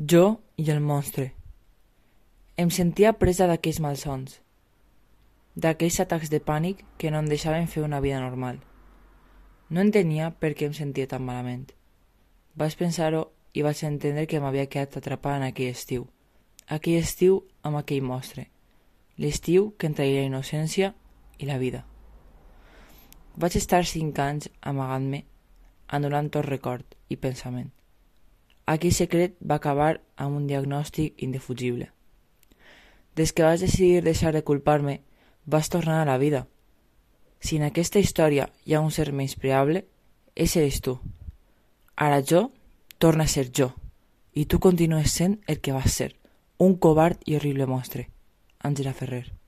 Jo i el monstre. Em sentia presa d'aquells malsons, d'aquells atacs de pànic que no em deixaven fer una vida normal. No entenia per què em sentia tan malament. Vaig pensar-ho i vaig entendre que m'havia quedat atrapada en aquell estiu amb aquell monstre, l'estiu que em traïa la innocència i la vida. Vaig estar 5 anys amagant-me, anul·lant tot record i pensament. Aquell secret va acabar amb un diagnòstic indefugible. Des que vaig decidir deixar de culpar-me, vaig tornar a la vida. Si en aquesta història hi ha un ser menyspreable, ese eres tu. Ara jo torna a ser jo, i tu continues sent el que vas ser, un covard i horrible monstre. Àngela Ferrer.